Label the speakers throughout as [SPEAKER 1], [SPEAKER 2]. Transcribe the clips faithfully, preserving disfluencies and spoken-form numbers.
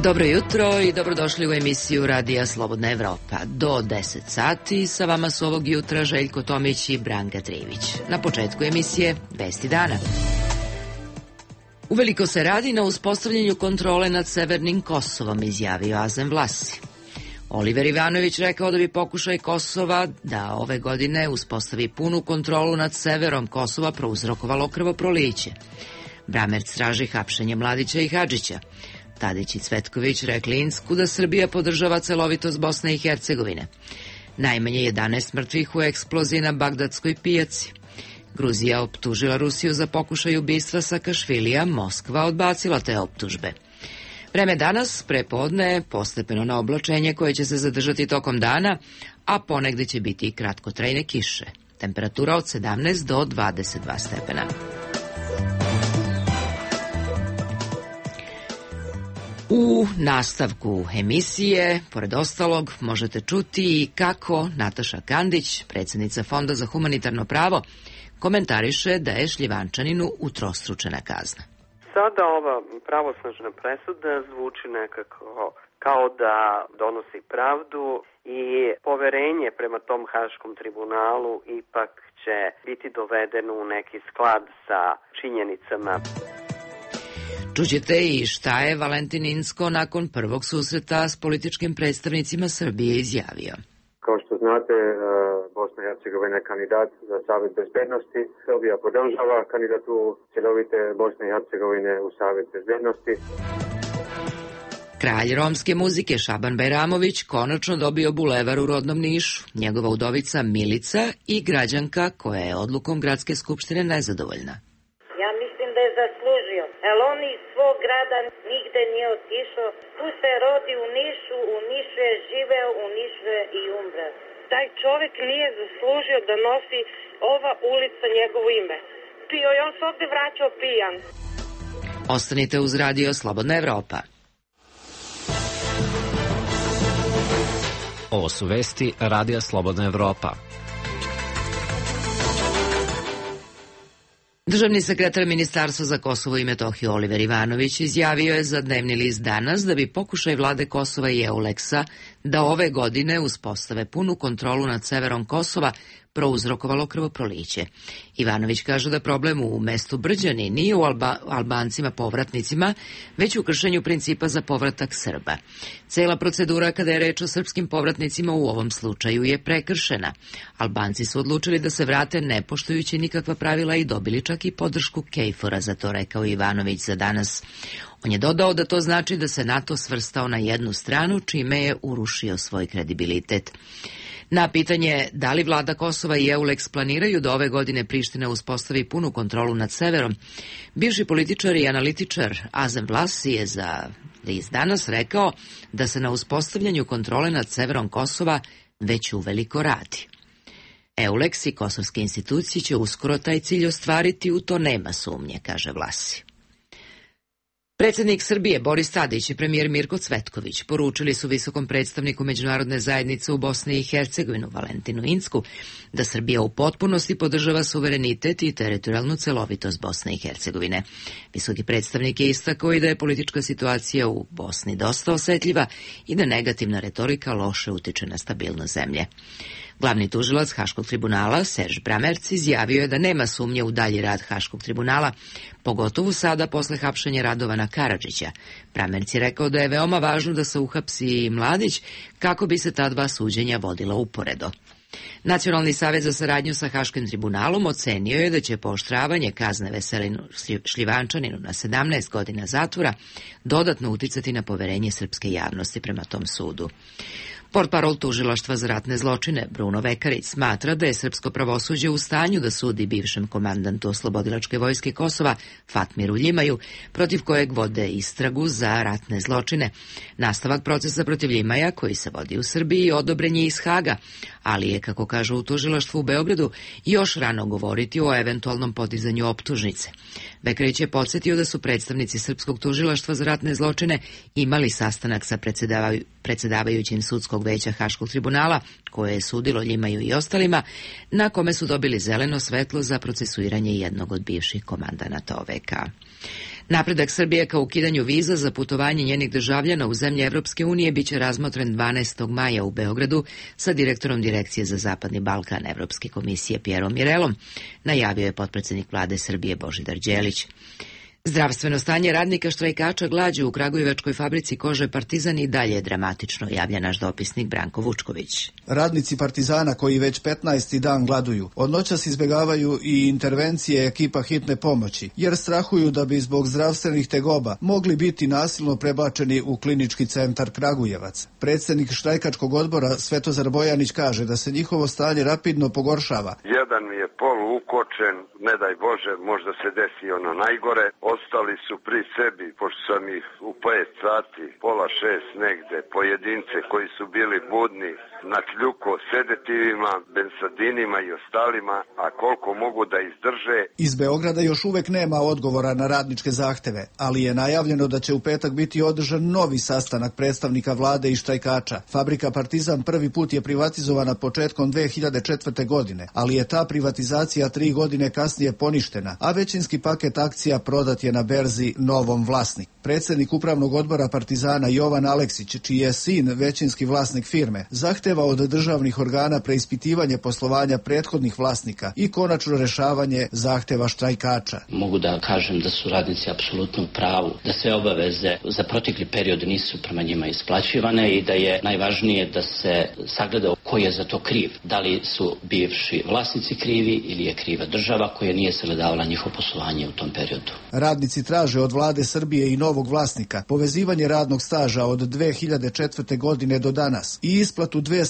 [SPEAKER 1] Dobro jutro i dobrodošli u emisiju Radija Slobodna Evropa. Do deset sati sa vama su ovog jutra Željko Tomić i Branka Trivić. Na početku emisije Vesti dana. Uveliko se radi na uspostavljanju kontrole nad severnim Kosovom, izjavio Azem Vlasi. Oliver Ivanović rekao da bi pokušaj Kosova da ove godine uspostavi punu kontrolu nad severom Kosova prouzrokovalo krvoproliće. Bramerc traži hapšenje Mladića i Hadžića. Tadić i Cvetković rekli Insku da Srbija podržava celovitost Bosne i Hercegovine. Najmanje jedanaest mrtvih u eksploziji na Bagdadskoj pijaci. Gruzija optužila Rusiju za pokušaj ubistva Sakašvilija, Moskva odbacila te optužbe. Vreme danas, prepodne, postepeno na oblačenje koje će se zadržati tokom dana, a ponegde će biti i kratkotrajne kiše. Temperatura od sedamnaest do dvadeset dva stepena. U nastavku emisije, pored ostalog, možete čuti i kako Nataša Kandić, predsjednica Fonda za humanitarno pravo, komentariše da je Šljivančaninu utrostručena kazna.
[SPEAKER 2] Sada ova pravosnažna presuda zvuči nekako kao da donosi pravdu i poverenje prema tom Haškom tribunalu ipak će biti dovedeno u neki sklad sa činjenicama.
[SPEAKER 1] Čućete i šta je Valentin Inzko nakon prvog susreta s političkim predstavnicima Srbije izjavio.
[SPEAKER 3] Kao što znate, Bosna i Hercegovina je kandidat za Savet bezbednosti. Srbija podržava kandidaturu cjelovite Bosne i Hercegovine u Savet bezbednosti.
[SPEAKER 1] Kralj romske muzike Šaban Bajramović konačno dobio bulevar u rodnom Nišu. Njegova udovica Milica i građanka koja je odlukom gradske skupštine nezadovoljna.
[SPEAKER 4] Ja mislim da je zaslužio, jer on iz svog grada nigde nije otišao. Tu se rodi u Nišu, u Nišu je živeo, u Nišu je i umre. Taj čovjek nije zaslužio da nosi ova ulica njegovo ime. Pio je, on se ovdje vraćao pijan.
[SPEAKER 1] Ostanite uz Radio Slobodna Evropa.
[SPEAKER 5] Ovo su vesti Radija Slobodna Evropa.
[SPEAKER 1] Državni sekretar Ministarstva za Kosovo i Metohiju Oliver Ivanović izjavio je za dnevni list Danas da bi pokušaj vlade Kosova i Euleksa da ove godine uspostave punu kontrolu nad severom Kosova prouzrokovalo krvoproliće. Ivanović kaže da problem u mestu Brđani nije u Alba, Albancima povratnicima, već u kršenju principa za povratak Srba. Cela procedura kada je reč o srpskim povratnicima u ovom slučaju je prekršena. Albanci su odlučili da se vrate ne poštujući nikakva pravila i dobili čak i podršku Kejfora za to, rekao Ivanović za Danas. On je dodao da to znači da se NATO svrstao na jednu stranu, čime je urušio svoj kredibilitet. Na pitanje da li vlada Kosova i Euleks planiraju da ove godine Priština uspostavi punu kontrolu nad severom, bivši političar i analitičar Azem Vlasi je za list Danas rekao da se na uspostavljanju kontrole nad severom Kosova već uveliko radi. Euleks i kosovske institucije će uskoro taj cilj ostvariti, u to nema sumnje, kaže Vlasi. Predsjednik Srbije Boris Tadić i premijer Mirko Cvetković poručili su visokom predstavniku međunarodne zajednice u Bosni i Hercegovinu Valentinu Insku da Srbija u potpunosti podržava suverenitet i teritorijalnu celovitost Bosne i Hercegovine. Visoki predstavnik je istakao i da je politička situacija u Bosni dosta osetljiva i da negativna retorika loše utiče na stabilnost zemlje. Glavni tužilac Haškog tribunala, Serž Bramerc, izjavio je da nema sumnje u dalji rad Haškog tribunala, pogotovo sada posle hapšenja Radovana Karadžića. Bramerc je rekao da je veoma važno da se uhapsi i Mladić kako bi se ta dva suđenja vodila uporedo. Nacionalni savjet za saradnju sa Haškim tribunalom ocenio je da će pooštravanje kazne Veselinu Šljivančaninu na sedamnaest godina zatvora dodatno uticati na poverenje srpske javnosti prema tom sudu. Portparol tužilaštva za ratne zločine Bruno Vekarić smatra da je srpsko pravosuđe u stanju da sudi bivšem komandantu Oslobodilačke vojske Kosova Fatmiru Ljimaju, protiv kojeg vode istragu za ratne zločine. Nastavak procesa protiv Ljimaja, koji se vodi u Srbiji, odobren je iz Haga, ali je, kako kažu u tužilaštvu u Beogradu, još rano govoriti o eventualnom podizanju optužnice. Vekarić je podsjetio da su predstavnici srpskog tužilaštva za ratne zločine imali sastanak sa predsedavaju, predsedavajućim sudskog veća Haškog tribunala, koje je sudilo Ljimaju i ostalima, na kome su dobili zeleno svetlo za procesuiranje jednog od bivših komandanata O V K. Napredak Srbije ka ukidanju viza za putovanje njenih državljana u zemlje Evropske unije biće razmotren dvanaestog maja u Beogradu sa direktorom Direkcije za Zapadni Balkan Evropske komisije Pjerom Mirelom, najavio je potpredsednik vlade Srbije Božidar Đelić. Zdravstveno stanje radnika štrajkača glađu u Kragujevačkoj fabrici kože Partizan i dalje je dramatično, javlja naš dopisnik Branko Vučković.
[SPEAKER 6] Radnici Partizana koji već petnaesti dan gladuju, od noćas izbjegavaju i intervencije ekipa hitne pomoći, jer strahuju da bi zbog zdravstvenih tegoba mogli biti nasilno prebačeni u klinički centar Kragujevac. Predsjednik štrajkačkog odbora Svetozar Bojanić kaže da se njihovo stanje rapidno pogoršava.
[SPEAKER 7] Jedan mi je polu ukočen, ne daj Bože, možda se desi ono najgore. Ostali su pri sebi, pošto sam ih u pet sati, pola šest negde, pojedince koji su bili budni, na kljuko sedetivima, bensadinima i ostalima, a koliko mogu da izdrže.
[SPEAKER 6] Iz Beograda još uvek nema odgovora na radničke zahteve, ali je najavljeno da će u petak biti održan novi sastanak predstavnika vlade i štrajkača. Fabrika Partizan prvi put je privatizovana početkom dve hiljade četvrte. godine, ali je ta privatizacija tri godine kasnije poništena, a većinski paket akcija prodat je na berzi novom vlasniku. Predsjednik upravnog odbora Partizana Jovan Aleksić, čiji je sin većinski vlasnik firme, zahteva od državnih organa preispitivanje poslovanja prethodnih vlasnika i konačno rešavanje zahteva štrajkača.
[SPEAKER 8] Mogu da kažem da su radnici apsolutno u pravu, da sve obaveze za protekli period nisu prema njima isplaćivane i da je najvažnije da se sagleda ko je za to kriv. Da li su bivši vlasnici krivi ili je kriva država koja nije sagledavala njihovo poslovanje u tom periodu.
[SPEAKER 6] Radnici traže od vlade Srbije i novog vlasnika povezivanje radnog staža od dve hiljade četvrte. godine do danas i isplatu dvesta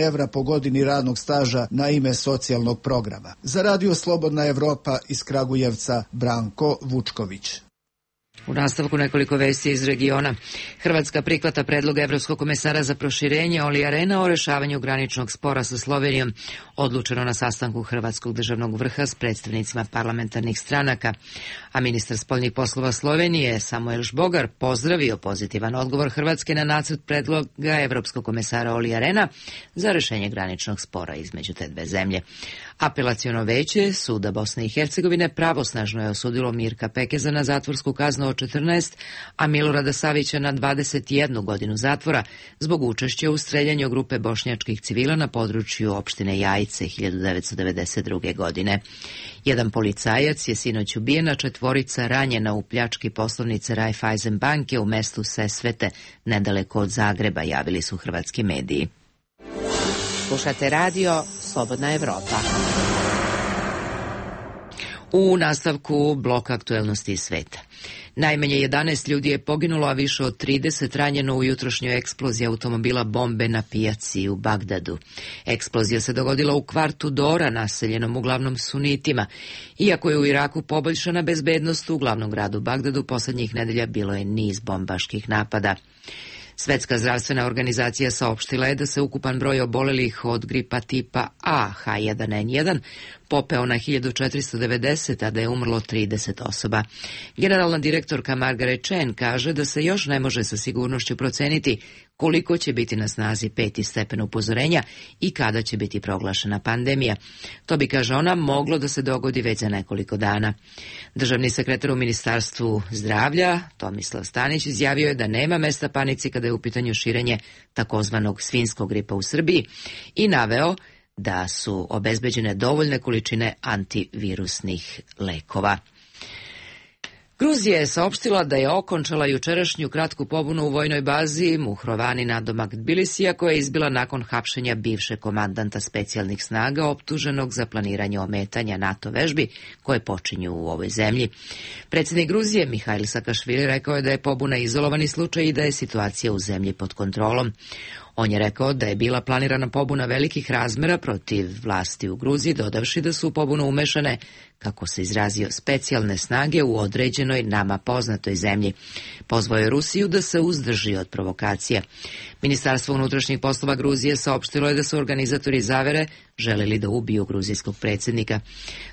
[SPEAKER 6] evra po godini radnog staža na ime socijalnog programa. Za Radio Slobodna Evropa iz Kragujevca, Branko Vučković.
[SPEAKER 1] U nastavku nekoliko vesti iz regiona. Hrvatska prihvata predlog Evropskog komesara za proširenje Olija Rehna o rešavanju graničnog spora sa Slovenijom, odlučeno na sastanku Hrvatskog državnog vrha s predstavnicima parlamentarnih stranaka, a ministar spoljnih poslova Slovenije Samuel Žbogar pozdravio pozitivan odgovor Hrvatske na nacrt predloga Evropskog komesara Olija Rehna za rešenje graničnog spora između te dve zemlje. Apelaciono veće Suda Bosne i Hercegovine pravosnažno je osudilo Mirka Pekeza na zatvorsku kaznu od četrnaest, a Milorada Savića na dvadeset jednu godinu zatvora zbog učešća u streljanju grupe bošnjačkih civila na području opštine Jajice hiljadu devetsto devedeset druge. godine. Jedan policajac je sinoć ubijen, a četvorica ranjena u pljački poslovnice Raiffeisen banke u mestu Sesvete, nedaleko od Zagreba, javili su hrvatski mediji.
[SPEAKER 9] Slušate radio Slobodna Evropa.
[SPEAKER 1] U nastavku blok aktuelnosti iz sveta. Najmanje jedanaest ljudi je poginulo, a više od trideset ranjeno u jutrošnjoj eksploziji automobila bombe na pijaci u Bagdadu. Eksplozija se dogodila u kvartu Dora, naseljenom uglavnom sunitima. Iako je u Iraku poboljšana bezbednost, u glavnom gradu Bagdadu poslednjih nedelja bilo je niz bombaških napada. Svetska zdravstvena organizacija saopštila je da se ukupan broj obolelih od gripa tipa A H jedan N jedan popeo na hiljadu četiristo devedeset, a da je umrlo trideset osoba. Generalna direktorka Margaret Chan kaže da se još ne može sa sigurnošću proceniti koliko će biti na snazi peti stepen upozorenja i kada će biti proglašena pandemija. To bi, kaže ona, moglo da se dogodi već za nekoliko dana. Državni sekretar u Ministarstvu zdravlja, Tomislav Stanić, izjavio je da nema mesta panici kada je u pitanju širenje takozvanog svinjskog gripa u Srbiji i naveo da su obezbeđene dovoljne količine antivirusnih lekova. Gruzija je saopštila da je okončala jučerašnju kratku pobunu u vojnoj bazi Muhrovani nadomak Tbilisija, koja je izbila nakon hapšenja bivšeg komandanta specijalnih snaga optuženog za planiranje ometanja NATO vežbi koje počinju u ovoj zemlji. Predsjednik Gruzije Mihajl Sakašvili rekao je da je pobuna izolovani slučaj i da je situacija u zemlji pod kontrolom. On je rekao da je bila planirana pobuna velikih razmera protiv vlasti u Gruziji, dodavši da su u pobunu umešane, kako se izrazio, specijalne snage u određenoj nama poznatoj zemlji. Pozvao je Rusiju da se uzdrži od provokacija. Ministarstvo unutrašnjih poslova Gruzije saopštilo je da su organizatori zavere želeli da ubiju gruzijskog predsjednika.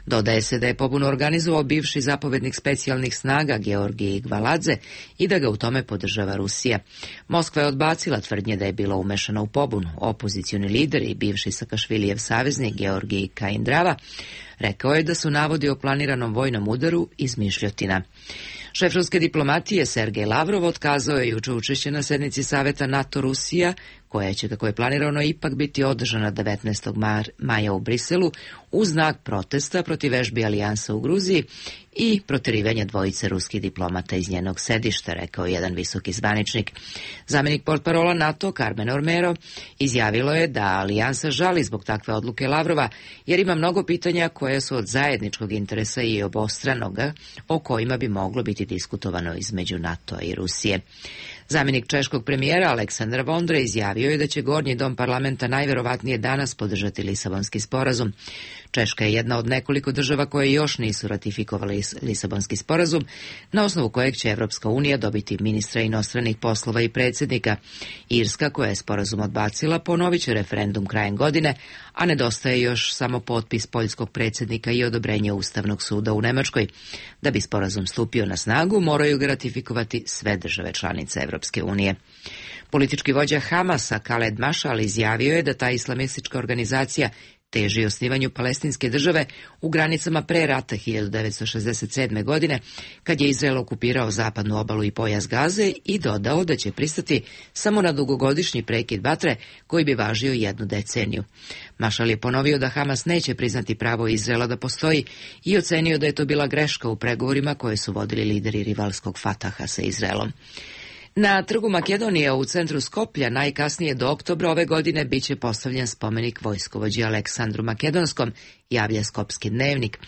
[SPEAKER 1] Dodaje se da je pobunu organizovao bivši zapovednik specijalnih snaga Georgij Gvaladze i da ga u tome podržava Rusija. Moskva je odbacila tvrdnje da je bila umešana u pobunu. Opozicioni lider i bivši Sakašvilijev saveznik Georgij Kaindrava rekao je da su navodi o planiranom vojnom udaru izmišljotina. Šef ruske diplomatije Sergej Lavrov otkazao je juče učešće na sednici Saveta NATO-Rusija, koja će, kako je planirano, ipak biti održana devetnaestog maja u Briselu u znak protesta protiv vežbi Alijansa u Gruziji i proterivanja dvojice ruskih diplomata iz njenog sedišta, rekao jedan visoki zvaničnik. Zamenik portparola NATO Carmen Ormero izjavilo je da Alijansa žali zbog takve odluke Lavrova, jer ima mnogo pitanja koja su od zajedničkog interesa i obostranoga, o kojima bi moglo biti diskutovano između NATO-a i Rusije. Zamenik češkog premijera Aleksandar Vondra izjavio je da će Gornji dom parlamenta najverovatnije danas podržati Lisabonski sporazum. Češka je jedna od nekoliko država koje još nisu ratifikovali Lisabonski sporazum, na osnovu kojeg će Evropska unija dobiti ministra inostranih poslova i predsjednika. Irska, koja je sporazum odbacila, ponovit će referendum krajem godine, a nedostaje još samo potpis poljskog predsjednika i odobrenje Ustavnog suda u Nemačkoj. Da bi sporazum stupio na snagu, moraju ga ratifikovati sve države članice Evropske unije. Politički vođa Hamasa Khaled Mashal izjavio je da ta islamistička organizacija teži osnivanju palestinske države u granicama pre rata hiljadu devetsto šezdeset sedme. godine, kad je Izrael okupirao zapadnu obalu i pojas Gaze, i dodao da će pristati samo na dugogodišnji prekid vatre koji bi važio jednu deceniju. Mašal je ponovio da Hamas neće priznati pravo Izraela da postoji i ocenio da je to bila greška u pregovorima koje su vodili lideri rivalskog Fataha sa Izraelom. Na trgu Makedonije u centru Skoplja najkasnije do oktobra ove godine biće postavljen spomenik vojskovođi Aleksandru Makedonskom, javlja Skopski dnevnik.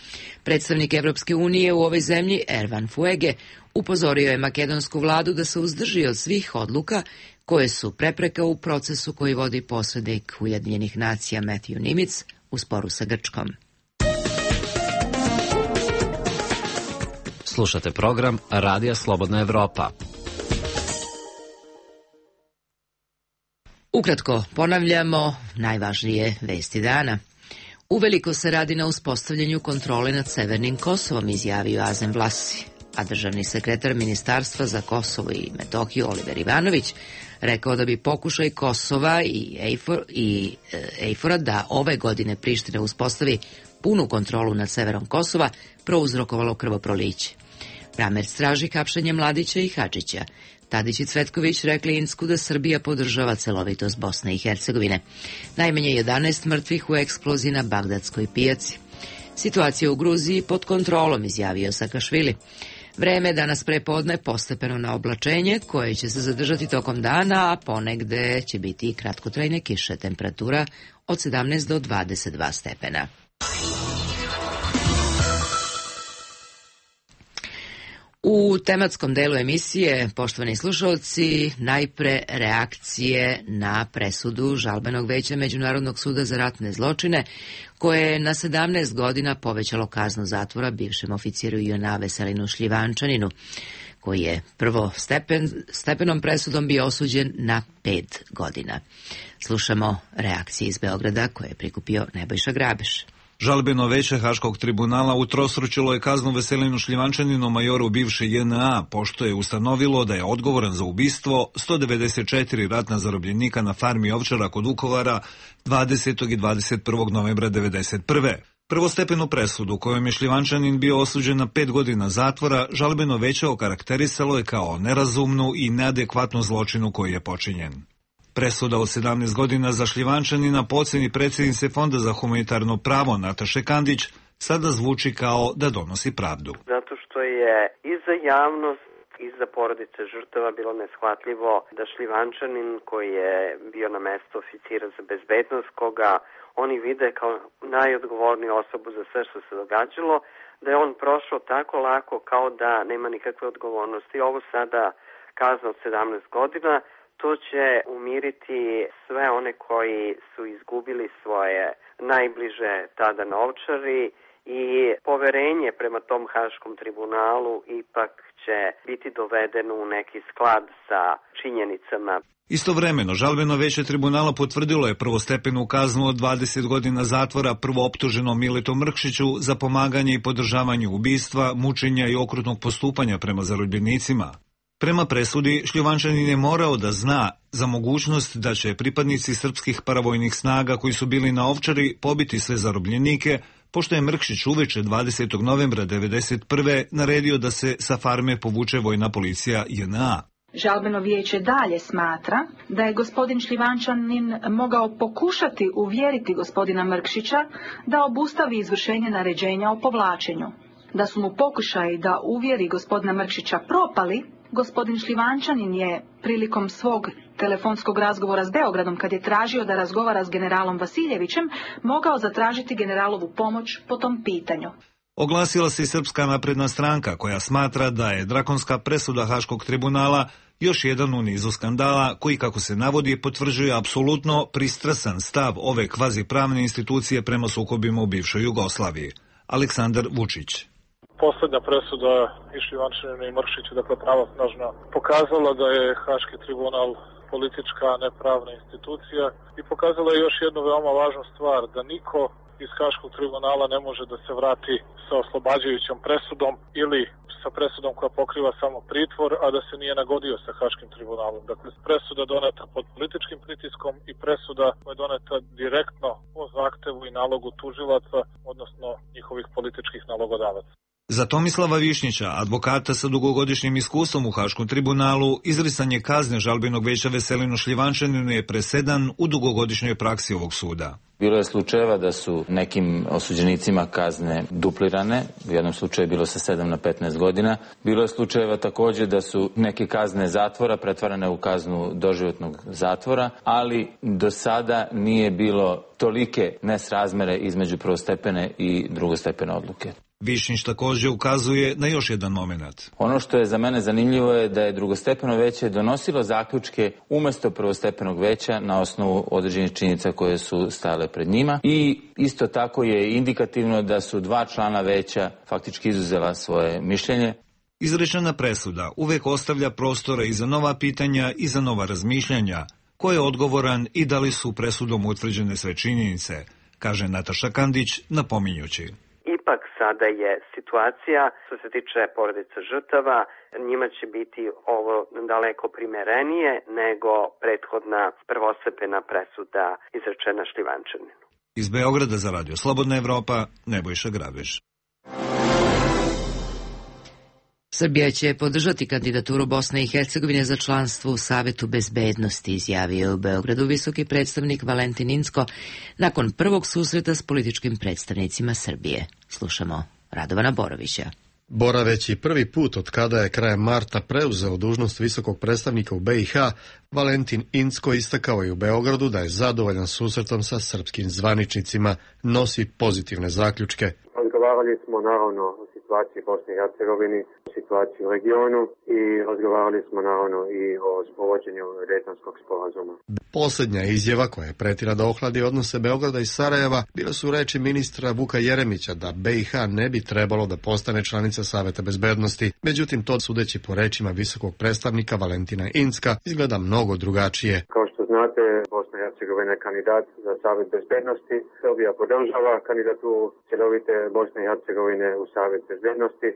[SPEAKER 1] Predstavnik Evropske unije u ovoj zemlji, Ervan Fuege, upozorio je makedonsku vladu da se uzdrži od svih odluka koje su prepreka u procesu koji vodi posrednik Ujedinjenih nacija Matthew Nimitz u sporu sa Grčkom.
[SPEAKER 5] Slušate program Radija Slobodna Evropa.
[SPEAKER 1] Ukratko ponavljamo najvažnije vesti dana. Uveliko se radi na uspostavljanju kontrole nad Severnim Kosovom, izjavio Azem Vlasi, a državni sekretar Ministarstva za Kosovo i Metohiju Oliver Ivanović rekao da bi pokušaj Kosova i Ejfor, i Ejfora da ove godine Priština uspostavi punu kontrolu nad severom Kosova prouzrokovalo krvoproliće. Bramerc traži hapšenje Mladića i Hadžića. Tadić i Cvetković rekli Insku da Srbija podržava celovitost Bosne i Hercegovine. Najmanje jedanaest mrtvih u eksploziji na Bagdadskoj pijaci. Situacija u Gruziji pod kontrolom, izjavio Sakašvili. Vreme danas prepodne postepeno na oblačenje, koje će se zadržati tokom dana, a ponegde će biti i kratkotrajne kiše, temperatura od sedamnaest do dvadeset dva stepena. U tematskom delu emisije, poštovani slušalci, najpre reakcije na presudu Žalbenog veća Međunarodnog suda za ratne zločine, koje je na sedamnaest godina povećalo kaznu zatvora bivšem oficijeru J N A Veselinu Šljivančaninu, koji je prvo stepen, stepenom presudom bio osuđen na pet godina. Slušamo reakcije iz Beograda koje je prikupio Nebojša Grabeš.
[SPEAKER 10] Žalbeno veće Haškog tribunala utrostručilo je kaznu Veselinu Šljivančaninu, majoru bivše J N A, pošto je ustanovilo da je odgovoran za ubistvo sto devedeset četiri ratna zarobljenika na farmi Ovčara kod Vukovara dvadesetog i dvadeset prvog novembra devedeset prve. Prvostepenu presudu, kojom je Šljivančanin bio osuđen na pet godina zatvora, žalbeno veće okarakterisalo je kao nerazumnu i neadekvatnu zločinu koji je počinjen. Presuda od sedamnaest godina za Šljivančanina po oceni predsjednice Fonda za humanitarno pravo Nataše Kandić sada zvuči kao da donosi pravdu.
[SPEAKER 2] Zato što je i za javnost i za porodice žrtava bilo neshvatljivo da Šljivančanin, koji je bio na mesto oficira za bezbednost, koga oni vide kao najodgovorniju osobu za sve što se događalo, da je on prošao tako lako kao da nema nikakve odgovornosti. Ovo sada kazna od sedamnaest godina, to će umiriti sve one koji su izgubili svoje najbliže tada na Ovčari i poverenje prema tom Haškom tribunalu ipak će biti dovedeno u neki sklad sa činjenicama.
[SPEAKER 10] Istovremeno, žalbeno veće tribunala potvrdilo je prvostepenu kaznu od dvadeset godina zatvora prvooptuženom Miletu Mrkšiću za pomaganje i podržavanje ubistva, mučenja i okrutnog postupanja prema zarobljenicima. Prema presudi, Šljivančanin je morao da zna za mogućnost da će pripadnici srpskih paravojnih snaga koji su bili na Ovčari pobiti sve zarobljenike, pošto je Mrkšić uveče dvadesetog novembra devedeset prve naredio da se sa farme povuče vojna policija J N A.
[SPEAKER 11] Žalbeno vijeće dalje smatra da je gospodin Šljivančanin mogao pokušati uvjeriti gospodina Mrkšića da obustavi izvršenje naređenja o povlačenju. Da su mu pokušaji da uvjeri gospodina Mrkšića propali, gospodin Šljivančanin je prilikom svog telefonskog razgovora s Beogradom, kad je tražio da razgovara s generalom Vasiljevićem, mogao zatražiti generalovu pomoć po tom pitanju.
[SPEAKER 10] Oglasila se i Srpska napredna stranka, koja smatra da je drakonska presuda Haškog tribunala još jedan u nizu skandala koji, kako se navodi, potvrđuje apsolutno pristrasan stav ove kvazipravne institucije prema sukobima u bivšoj Jugoslaviji. Aleksandar Vučić.
[SPEAKER 12] Poslednja presuda i Šljivančaninu i Mrkšiću, dakle pravosnažna, pokazala da je Haški tribunal politička, nepravna institucija i pokazala je još jednu veoma važnu stvar, da niko iz Haškog tribunala ne može da se vrati sa oslobađajućom presudom ili sa presudom koja pokriva samo pritvor, a da se nije nagodio sa Haškim tribunalom. Dakle, presuda doneta pod političkim pritiskom i presuda koja je doneta direktno po zahtevu i nalogu tužilaca, odnosno njihovih političkih nalogodavaca.
[SPEAKER 10] Za Tomislava Višnjića, advokata sa dugogodišnjim iskustvom u Haškom tribunalu, izricanje kazne žalbenog veća Veselinu Šljivančaninu je presedan u dugogodišnjoj praksi ovog suda.
[SPEAKER 13] Bilo je slučajeva da su nekim osuđenicima kazne duplirane, u jednom slučaju je bilo sa sedam na petnaest godina. Bilo je slučajeva također da su neke kazne zatvora pretvarane u kaznu doživotnog zatvora, ali do sada nije bilo tolike nesrazmere između prvostepene i drugostepene odluke.
[SPEAKER 10] Višnjić također ukazuje na još jedan moment.
[SPEAKER 13] Ono što je za mene zanimljivo je da je drugostepeno veće donosilo zaključke umesto prvostepenog veća na osnovu određenih činjenica koje su stajale pred njima i isto tako je indikativno da su dva člana veća faktički izuzela svoje mišljenje.
[SPEAKER 10] Izrečena presuda uvek ostavlja prostora i za nova pitanja i za nova razmišljanja. Ko je odgovoran i da li su presudom utvrđene sve činjenice, kaže Nataša Kandić napominjući.
[SPEAKER 2] Ipak sada je situacija, što se tiče porodica žrtava, njima će biti ovo daleko primerenije nego prethodna prvostepena presuda izrečena Šljivančaninu.
[SPEAKER 10] Iz Beograda za Radio Slobodna Evropa, Nebojša Grabež.
[SPEAKER 1] Srbija će podržati kandidaturu Bosne i Hercegovine za članstvo u Savetu bezbednosti, izjavio je u Beogradu visoki predstavnik Valentin Incko nakon prvog susreta s političkim predstavnicima Srbije. Slušamo Radovana Borovića.
[SPEAKER 14] Boraveći prvi put od kada je krajem marta preuzeo dužnost visokog predstavnika u B i H, Valentin Incko istakao je u Beogradu da je zadovoljan susretom sa srpskim zvaničnicima, nosi pozitivne zaključke.
[SPEAKER 3] Razgovarali smo naravno o situaciji Bosne i Hercegovini, o situaciji u regionu i razgovarali smo naravno i o sprovođenju Dejtonskog sporazuma.
[SPEAKER 14] Posljednja izjava koja je pretila da ohladi odnose Beograda i Sarajeva bile su reči ministra Vuka Jeremića da B i H ne bi trebalo da postane članica Saveta bezbednosti. Međutim, to sudeći po rečima visokog predstavnika Valentina Incka izgleda mnogo drugačije.
[SPEAKER 3] Kao što znate, Bosna i Hercegovina je kandidat za Savet bezbednosti. Srbija podržava kandidaturu cjelovite Bosne i Hercegovine u Savet bezbednosti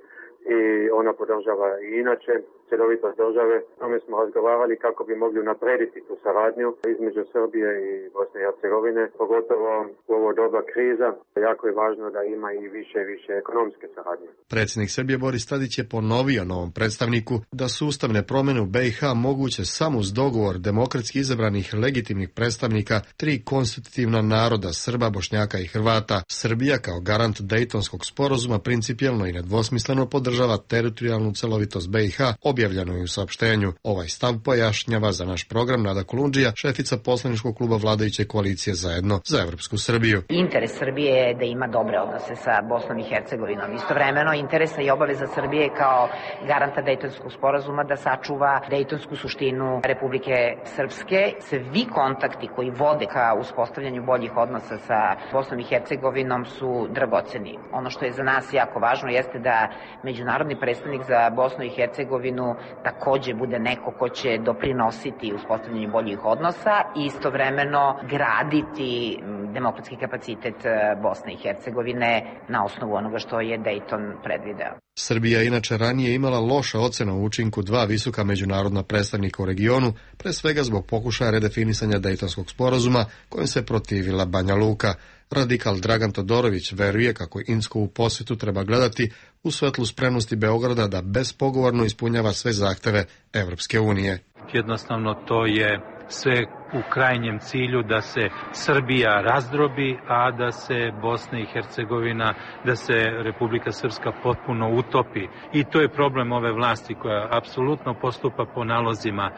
[SPEAKER 3] i ona podržava i inače cjelovitost države. Tome smo razgovarali kako bi mogli naprediti tu saradnju između Srbije i Bosne i Hercegovine, pogotovo u ovo doba kriza. Jako je važno da ima i više i više ekonomske saradnje.
[SPEAKER 14] Predsjednik Srbije Boris Tadić je ponovio novom predstavniku da su ustavne promjene u B i H moguće samo uz dogovor demokratski izabranih legitimnih predstavnika tri konstitutivna naroda Srba, Bošnjaka i Hrvata. Srbija kao garant Dejtonskog sporazuma principijelno i nedvosmisleno podržava teritorijalnu celovitost B i H, objavljeno je u saopštenju. Ovaj stav pojašnjava za naš program Nada Kolundžija, šefica poslaničkog kluba vladajuće koalicije Zajedno za Evropsku Srbiju.
[SPEAKER 15] Interes Srbije je da ima dobre odnose sa Bosnom i Hercegovinom. Istovremeno, interesa i obaveza Srbije kao garanta Dejtonskog sporazuma da sačuva dejtonsku suštinu Republike Srpske. Svi kontakti koji vode ka uspostavljanju boljih odnosa sa Bosnom i Hercegovinom su dragoceni. Ono što je za nas jako važno jeste da međunarodni predstavnik za Bosnu i Hercegovinu takođe bude neko ko će doprinositi uspostavljanju boljih odnosa i istovremeno graditi demokratski kapacitet Bosne i Hercegovine na osnovu onoga što je Dayton predvideo.
[SPEAKER 14] Srbija je inače ranije imala loša ocena u učinku dva visoka međunarodna predstavnika u regionu, pre svega zbog pokušaja redefinisanja Dejtonskog sporazuma kojim se protivila Banja Luka. Radikal Dragan Todorović veruje kako Inskovu posjetu treba gledati u svetlu spremnosti Beograda da bespogovorno ispunjava sve zahteve Evropske unije.
[SPEAKER 16] Jednostavno to je sve u krajnjem cilju da se Srbija razdrobi, a da se Bosna i Hercegovina, da se Republika Srpska potpuno utopi. I to je problem ove vlasti koja apsolutno postupa po nalozima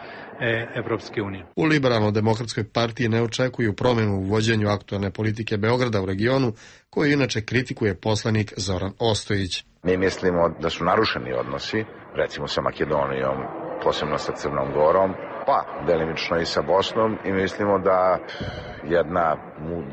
[SPEAKER 16] Evropske unije.
[SPEAKER 14] U Liberalno-demokratskoj partiji ne očekuju promjenu u vođenju aktualne politike Beograda u regionu, koju inače kritikuje poslanik Zoran Ostojić.
[SPEAKER 17] Mi mislimo da su narušeni odnosi, recimo sa Makedonijom, posebno sa Crnom Gorom, pa delimično i sa Bosnom, i mislimo da jedna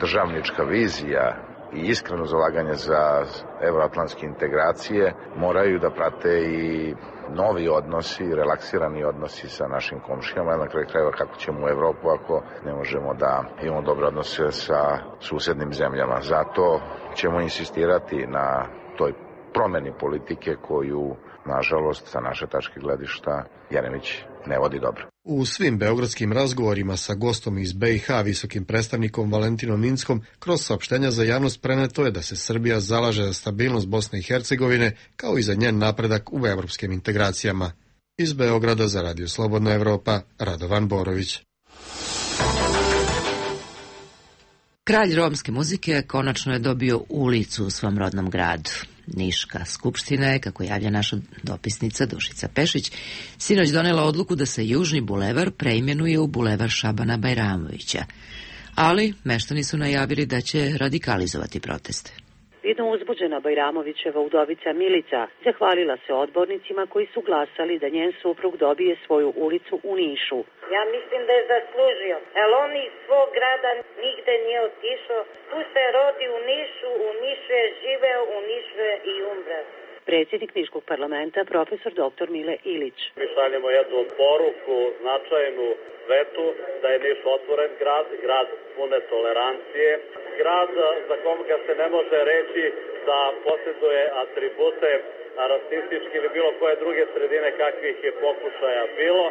[SPEAKER 17] državnička vizija i iskreno zalaganje za evroatlantske integracije moraju da prate i novi odnosi, relaksirani odnosi sa našim komšijama, na kraju krajeva kako ćemo u Evropu ako ne možemo da imamo dobre odnose sa susednim zemljama. Zato ćemo insistirati na toj promeni politike koju, nažalost, sa naše tačke gledišta, Jeremić ne vodi dobro.
[SPEAKER 14] U svim beogradskim razgovorima sa gostom iz be i ha, visokim predstavnikom Valentinom Inckom, kroz saopštenja za javnost preneto je da se Srbija zalaže za stabilnost Bosne i Hercegovine, kao i za njen napredak u evropskim integracijama. Iz Beograda za Radio Slobodna Evropa, Radovan Borović.
[SPEAKER 1] Kralj romske muzike konačno je dobio ulicu u svom rodnom gradu. Niška skupština je, kako javlja naša dopisnica Dušica Pešić, sinoć donela odluku da se Južni bulevar preimenuje u bulevar Šabana Bajramovića. Ali meštani su najavili da će radikalizovati proteste.
[SPEAKER 18] Vidno uzbuđena Bajramovićeva udovica Milica zahvalila se odbornicima koji su glasali da njen suprug dobije svoju ulicu u Nišu.
[SPEAKER 4] Ja mislim da je zaslužio, jer on iz svog grada nigde nije otišao, tu se rodi u Nišu, u Nišu je živeo, u Nišu je i umre.
[SPEAKER 18] Predsjednik Niškog parlamenta, profesor doktor Mile Ilić.
[SPEAKER 19] Mi šaljemo jednu poruku značajnu svetu da je Niš otvoren grad, grad pune tolerancije, grad za koga se ne može reći da posjeduje atribute rasistički ili bilo koje druge sredine kakvih je pokušaja bilo.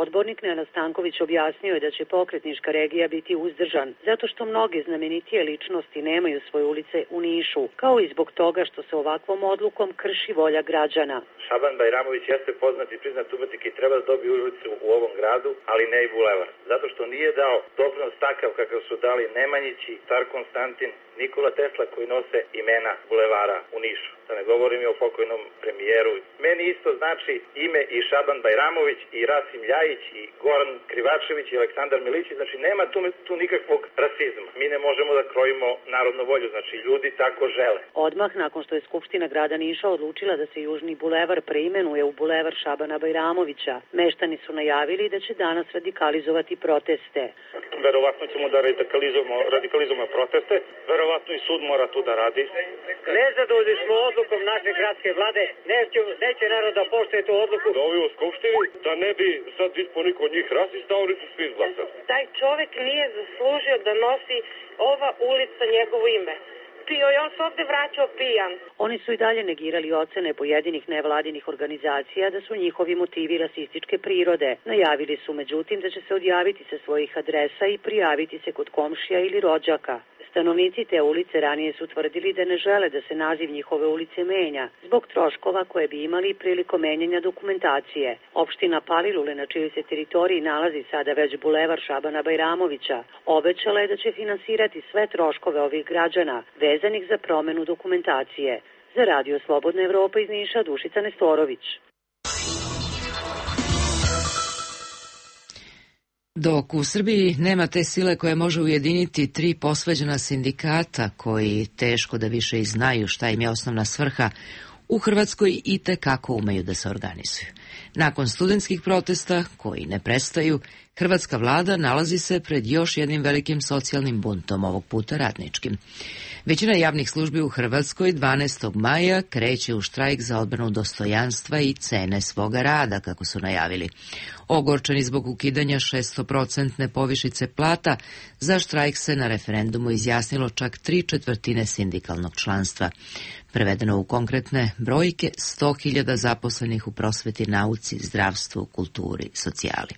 [SPEAKER 18] Odbornik Nenad Stanković objasnio je da će pokret Niška regija biti uzdržan, zato što mnoge znamenitije ličnosti nemaju svoje ulice u Nišu, kao i zbog toga što se ovakvom odlukom krši volja građana.
[SPEAKER 20] Šaban Bajramović jeste poznat i priznat umetnik i treba da dobije ulicu u ovom gradu, ali ne i bulevar, zato što nije dao doprinos takav kakav su dali Nemanjići, Car Konstantin, Nikola Tesla koji nose imena bulevara u Nišu. Da ne govorim i o pokojnom premijeru. Meni isto znači ime i Šaban Bajramović i Rasim Ljajić i Goran Krivačević i Aleksandar Milićić. Znači nema tu, tu nikakvog rasizma. Mi ne možemo da krojimo narodnu volju. Znači ljudi tako žele.
[SPEAKER 18] Odmah nakon što je Skupština grada Niša odlučila da se Južni bulevar preimenuje u bulevar Šabana Bajramovića, meštani su najavili da će danas radikalizovati proteste.
[SPEAKER 19] Verovatno ćemo da radikalizujemo, radikalizujemo proteste. Verovatno i sud mora tu da radi.
[SPEAKER 21] Nezadovoljni smo odlukom naše gradske vlade. Neće, neće narod da poštuje tu odluku.
[SPEAKER 19] Da ovi u Skupštini, da ne bi sad ispod niko od njih rasista, oni su svi izglasali.
[SPEAKER 22] Taj čovek nije zaslužio da nosi ova ulica njegovo ime. Pio i on se ovde vraćao pijan.
[SPEAKER 18] Oni su i dalje negirali ocene pojedinih nevladinih organizacija da su njihovi motivi rasističke prirode. Najavili su međutim da će se odjaviti sa svojih adresa i prijaviti se kod komšija ili rođaka. Stanovnici te ulice ranije su tvrdili da ne žele da se naziv njihove ulice menja, zbog troškova koje bi imali prilikom menjanja dokumentacije. Opština Palilule, na čijoj se teritoriji nalazi sada već bulevar Šabana Bajramovića, obećala je da će finansirati sve troškove ovih građana vezanih za promenu dokumentacije. Za Radio Slobodna Evropa iz Niša, Dušica Nestorović.
[SPEAKER 1] Dok u Srbiji nema te sile koja može ujediniti tri posvađana sindikata koji teško da više i znaju šta im je osnovna svrha, u Hrvatskoj i tekako umeju da se organizuju. Nakon studentskih protesta, koji ne prestaju, hrvatska vlada nalazi se pred još jednim velikim socijalnim buntom, ovog puta radničkim. Većina javnih službi u Hrvatskoj dvanaestog maja kreće u štrajk za odbranu dostojanstva i cene svoga rada, kako su najavili. Ogorčeni zbog ukidanja šestoprocentne povišice plata, za štrajk se na referendumu izjasnilo čak tri četvrtine sindikalnog članstva. Prevedeno u konkretne brojke, sto hiljada zaposlenih u prosveti, nauci, zdravstvu, kulturi, socijali.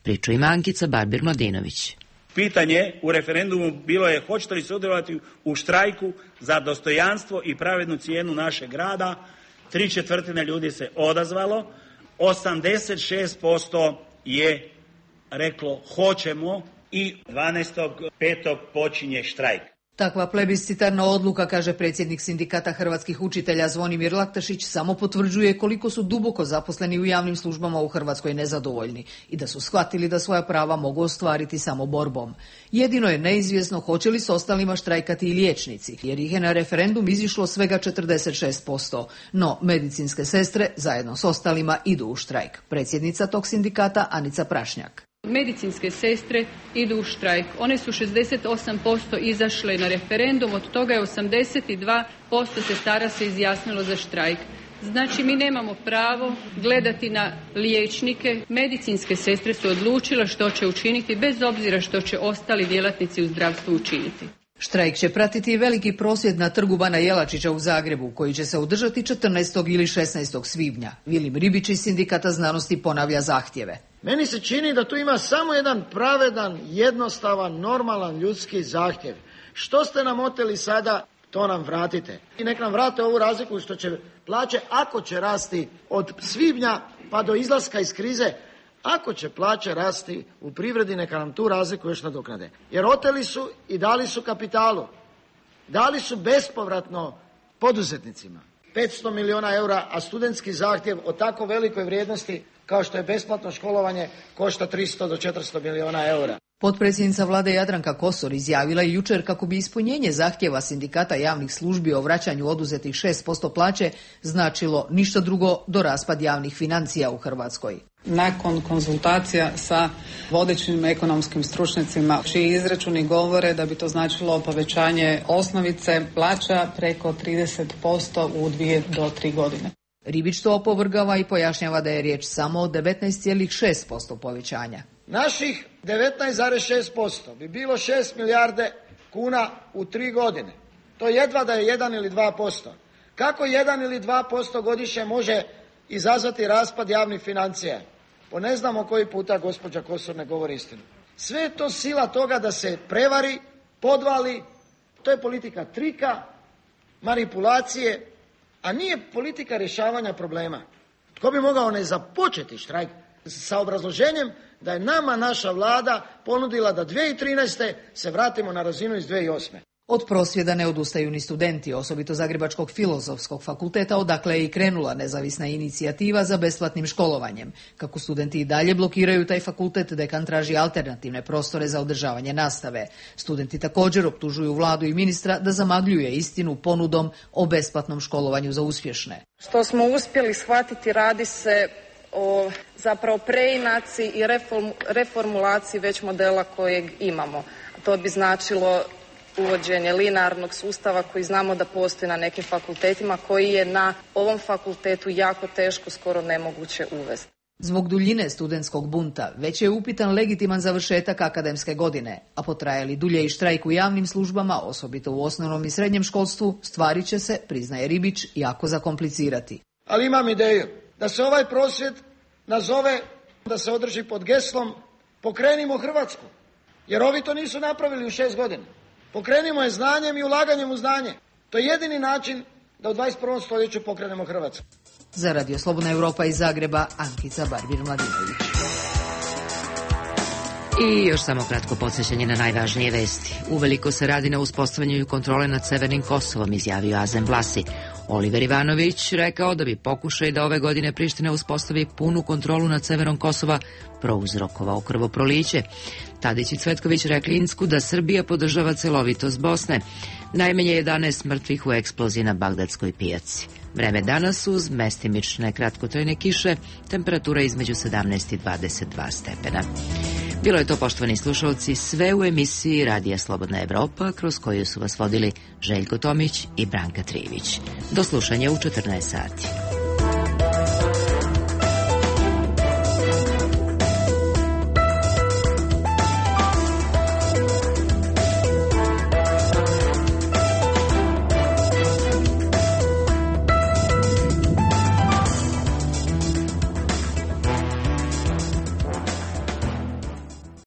[SPEAKER 1] Priču ima Ankica Barbir-Mladinović.
[SPEAKER 7] Pitanje u referendumu bilo je hoćete li sudjelovati u štrajku za dostojanstvo i pravednu cijenu našeg rada. Tri četvrtine ljudi se odazvalo, osamdeset šest posto je reklo hoćemo i dvanaestog petog počinje štrajk.
[SPEAKER 8] Takva plebiscitarna odluka, kaže predsjednik Sindikata hrvatskih učitelja Zvonimir Laktašić, samo potvrđuje koliko su duboko zaposleni u javnim službama u Hrvatskoj nezadovoljni i da su shvatili da svoja prava mogu ostvariti samo borbom. Jedino je neizvjesno hoće li s ostalima štrajkati i liječnici, jer ih je na referendum izišlo svega četrdeset šest posto. No, medicinske sestre zajedno s ostalima idu u štrajk. Predsjednica tog sindikata Anica Prašnjak.
[SPEAKER 23] Medicinske sestre idu u štrajk. One su šezdeset osam posto izašle na referendum, od toga je osamdeset dva posto sestara se izjasnilo za štrajk. Znači, mi nemamo pravo gledati na liječnike. Medicinske sestre su odlučile što će učiniti, bez obzira što će ostali djelatnici u zdravstvu učiniti.
[SPEAKER 8] Štrajk će pratiti veliki prosvjed na trgu Bana Jelačića u Zagrebu, koji će se održati četrnaestog ili šesnaestog svibnja. Vilim Ribić iz Sindikata znanosti ponavlja zahtjeve.
[SPEAKER 24] Meni se čini da tu ima samo jedan pravedan, jednostavan, normalan ljudski zahtjev. Što ste nam oteli sada, to nam vratite. I nek nam vrate ovu razliku što će plaće, ako će rasti od svibnja pa do izlaska iz krize, ako će plaće rasti u privredi, neka nam tu razliku još nadoknade. Jer oteli su i dali su kapitalu. Dali su bespovratno poduzetnicima. petsto milijuna eura, a studentski zahtjev o tako velikoj vrijednosti kao što je besplatno školovanje košta tristo do četiristo milijuna eura.
[SPEAKER 8] Potpredsjednica vlade Jadranka Kosor izjavila je jučer kako bi ispunjenje zahtjeva Sindikata javnih službi o vraćanju oduzetih šest posto plaće značilo ništa drugo do raspad javnih financija u Hrvatskoj.
[SPEAKER 25] Nakon konzultacija sa vodećim ekonomskim stručnjacima, čiji izračuni govore da bi to značilo povećanje osnovice plaća preko trideset posto u dvije do tri godine.
[SPEAKER 8] Ribić to opovrgava i pojašnjava da je riječ samo o devetnaest zarez šest posto povećanja.
[SPEAKER 24] Naših devetnaest zarez šest posto bi bilo šest milijarde kuna u tri godine. To jedva da je jedan ili dva posto. Kako jedan ili dva posto godišnje može izazvati raspad javnih financija? Po ne znamo koji puta gospođa Kosor ne govori istinu. Sve je to sila toga da se prevari, podvali. To je politika trika, manipulacije, a nije politika rješavanja problema. Tko bi mogao ne započeti štrajk sa obrazloženjem da je nama naša vlada ponudila da dvije tisuće trinaeste. se vratimo na razinu iz dvije tisuće osme.
[SPEAKER 8] Od prosvjeda ne odustaju ni studenti, osobito Zagrebačkog filozofskog fakulteta, odakle je i krenula nezavisna inicijativa za besplatnim školovanjem. Kako studenti i dalje blokiraju taj fakultet, dekan traži alternativne prostore za održavanje nastave. Studenti također optužuju vladu i ministra da zamagljuje istinu ponudom o besplatnom školovanju za uspješne.
[SPEAKER 26] Što smo uspjeli shvatiti, radi se o zapravo preinaciji i reform, reformulaciji već modela kojeg imamo. To bi značilo uvođenje linearnog sustava koji znamo da postoji na nekim fakultetima, koji je na ovom fakultetu jako teško, skoro nemoguće uvesti.
[SPEAKER 8] Zbog duljine studentskog bunta već je upitan legitiman završetak akademske godine, a potrajali dulje i štrajk u javnim službama, osobito u osnovnom i srednjem školstvu, stvari će se, priznaje Ribić, jako zakomplicirati.
[SPEAKER 24] Ali imam ideju da se ovaj prosvjed nazove, da se održi pod geslom Pokrenimo Hrvatsku, jer ovi to nisu napravili u šest godina. Pokrenimo je znanjem i ulaganjem u znanje. To je jedini način da u dvadeset prvom stoljeću pokrenemo Hrvatsku.
[SPEAKER 8] Za Radio Slobodna Europa iz Zagreba, Ankica Barbir-Mladinović.
[SPEAKER 1] I još samo kratko podsjećanje na najvažnije vesti. Uveliko se radi na uspostavljanju kontrole nad Severnim Kosovom, izjavio Azem Vlasi. Oliver Ivanović rekao da bi pokušaj da ove godine Priština uspostavi punu kontrolu nad severom Kosova prouzrokovao krvoproliće. Tadić i Cvetković rekli Insku da Srbija podržava celovitost Bosne. Najmanje jedanaest mrtvih u eksploziji na Bagdadskoj pijaci. Vreme danas uz mestimične kratkotrajne kiše, temperatura između sedamnaest i dvadeset dva stepena. Bilo je to, poštovani slušalci, sve u emisiji Radija Slobodna Evropa, kroz koju su vas vodili Željko Tomić i Branka Trivić. Do slušanja u četrnaest sati.